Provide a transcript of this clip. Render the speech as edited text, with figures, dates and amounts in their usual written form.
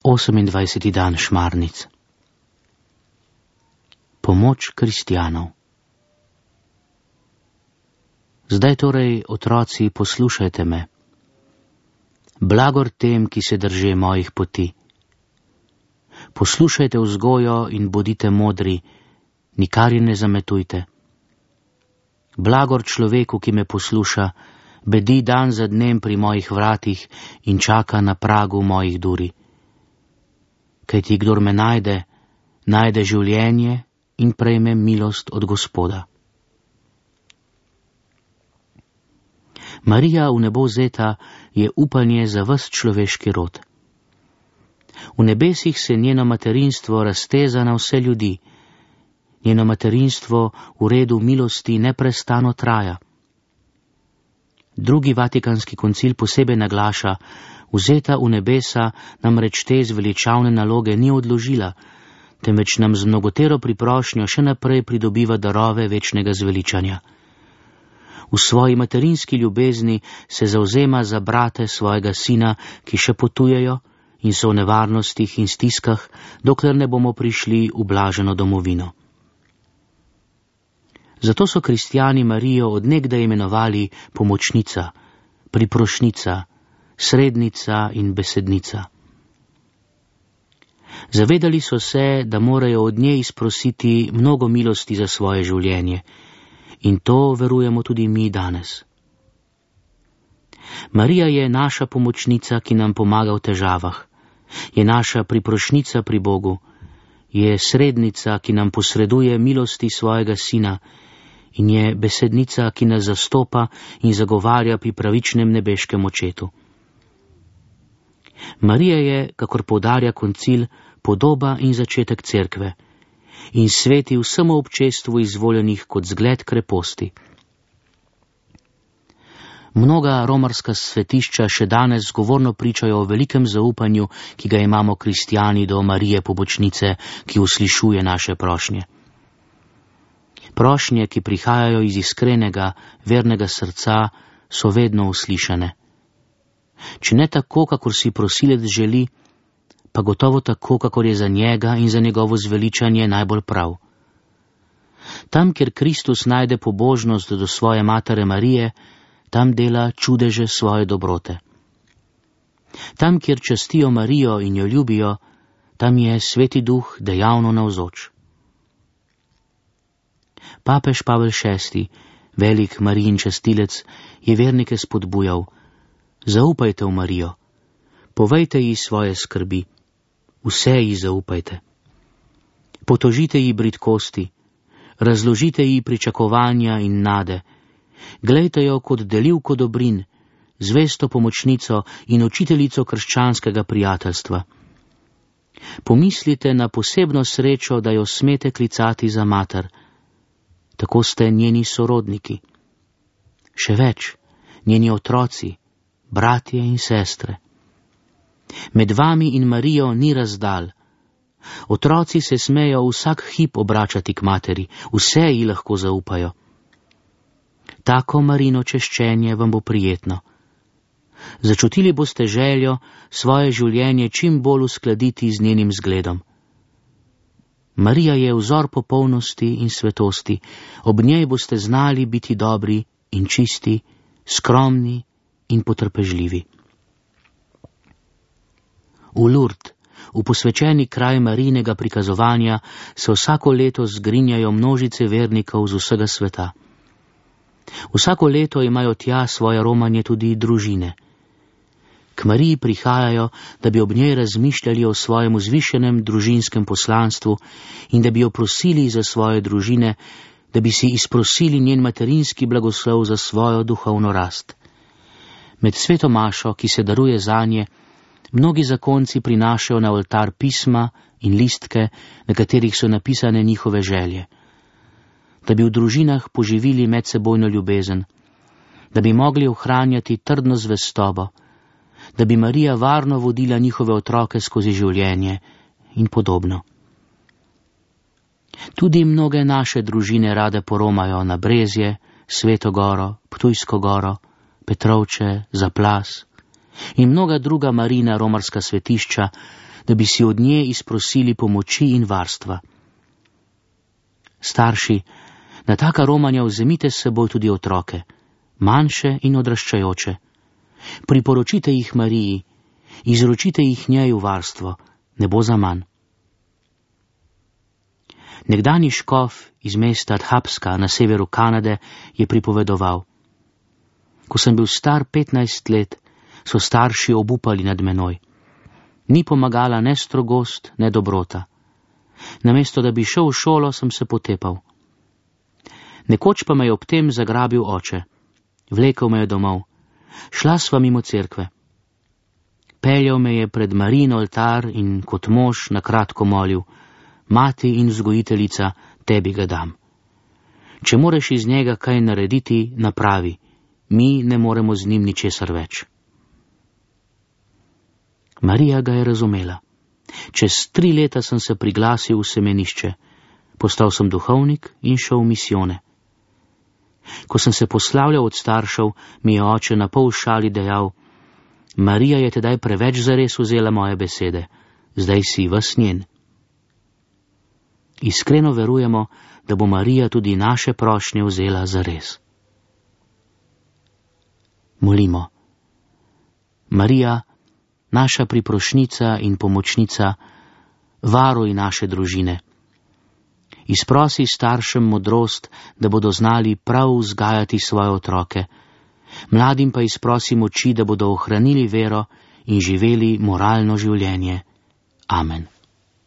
28. dan Šmarnic. Pomoč kristjanov. Zdaj torej, otroci, poslušajte me. Blagor tem, ki se drže mojih poti. Poslušajte vzgojo in bodite modri, nikar je ne zametujte. Blagor človeku, ki me posluša, bedi dan za dnem pri mojih vratih in čaka na pragu mojih duri. Kajti kdor me najde, najde življenje in prejme milost od Gospoda. Marija v nebo vzeta je upanje za ves človeški rod. V nebesih se njeno materinstvo razteza na vse ljudi. Njeno materinstvo v redu milosti neprestano traja. Drugi Vatikanski koncil posebej naglaša, vzeta v nebesa namreč te zveličavne naloge ni odložila, temveč nam z mnogotero priprošnjo še naprej pridobiva darove večnega zveličanja. V svoji materinski ljubezni se zavzema za brate svojega sina, ki še potujejo in so v nevarnostih in stiskah, dokler ne bomo prišli v blaženo domovino. Zato so kristjani Marijo od nekdaj imenovali pomočnica, priprošnica, srednica in besednica. Zavedali so se, da morajo od nje izprositi mnogo milosti za svoje življenje, in to verujemo tudi mi danes. Marija je naša pomočnica, ki nam pomaga v težavah, je naša priprošnica pri Bogu, je srednica, ki nam posreduje milosti svojega sina, in je besednica, ki nas zastopa in zagovarja pri pravičnem nebeškem očetu. Marija je, kakor poudarja koncil, podoba in začetek cerkve in sveti vsemu občestvu izvoljenih kot zgled kreposti. Mnoga romarska svetišča še danes zgovorno pričajo o velikem zaupanju, ki ga imamo kristjani do Marije pomočnice, ki uslišuje naše prošnje. Prošnje, ki prihajajo iz iskrenega, vernega srca, so vedno uslišane. Če ne tako, kakor si prosilec želi, pa gotovo tako, kakor je za njega in za njegovo zveličanje najbolj prav. Tam, kjer Kristus najde pobožnost do svoje matere Marije, tam dela čudeže svoje dobrote. Tam, kjer častijo Marijo in jo ljubijo, tam je Sveti Duh dejavno navzoč. Papež Pavel VI, velik Marijin častilec, je vernike spodbujal: zaupajte v Marijo, povejte ji svoje skrbi, vse ji zaupajte. Potožite ji bridkosti, razložite ji pričakovanja in nade, glejte jo kot delivko dobrin, zvesto pomočnico in učiteljico krščanskega prijateljstva. Pomislite na posebno srečo, da jo smete klicati za mater. Tako ste njeni sorodniki. Še več, njeni otroci, bratje in sestre. Med vami in Marijo ni razdalj. Otroci se smejo vsak hip obračati k materi, vse ji lahko zaupajo. Tako Marino češčenje vam bo prijetno. Začutili boste željo svoje življenje čim bolj uskladiti z njenim zgledom. Marija je vzor popolnosti in svetosti, ob njej boste znali biti dobri in čisti, skromni in potrpežljivi. V Lourdes, v posvečeni kraj Marijinega prikazovanja, se vsako leto zgrinjajo množice vernikov z vsega sveta. Vsako leto imajo tja svoje romanje tudi družine. K Mariji prihajajo, da bi ob njej razmišljali o svojem vzvišenem družinskem poslanstvu in da bi jo prosili za svoje družine, da bi si izprosili njen materinski blagoslov za svojo duhovno rast. Med sveto mašo, ki se daruje zanje, mnogi zakonci prinašajo na oltar pisma in listke, na katerih so napisane njihove želje. Da bi v družinah poživili medsebojno ljubezen, da bi mogli ohranjati trdno zvestobo, da bi Marija varno vodila njihove otroke skozi življenje in podobno. Tudi mnoge naše družine rade poromajo na Brezje, Sveto goro, Ptujsko goro, Petrovče, Zaplas in mnoga druga Marijina romarska svetišča, da bi si od nje izprosili pomoči in varstva. Starši, na taka romanja vzemite s seboj tudi otroke, manjše in odraščajoče. Priporočite jih Mariji, izročite jih njej v varstvo, ne bo zaman. Nekdanji škof iz mesta Dhapska na severu Kanade je pripovedoval: Ko sem bil star 15 let, so starši obupali nad menoj. Ni pomagala ne strogost, ne dobrota. Namesto da bi šel v šolo, sem se potepal. Nekoč pa me je ob tem zagrabil oče. Vlekel me je domov. Šla sva mimo cerkve. Peljal me je pred Marijin oltar in kot mož na kratko molil: Mati in vzgojiteljica, tebi ga dam. Če moreš iz njega kaj narediti, napravi. Mi ne moremo z njim ničesar več. Marija ga je razumela. Čez 3 leta sem se priglasil v semenišče. Postal sem duhovnik in šel v misijone. Ko sem se poslavljal od staršev, mi je oče na pol šali dejal: Marija je tedaj preveč zares vzela moje besede, zdaj si ves njen. Iskreno verujemo, da bo Marija tudi naše prošnje vzela zares. Molimo. Marija, naša priprošnica in pomočnica, varuj naše družine. Izprosi staršem modrost, da bodo znali prav vzgajati svoje otroke. Mladim pa izprosi moči, da bodo ohranili vero in živeli moralno življenje. Amen.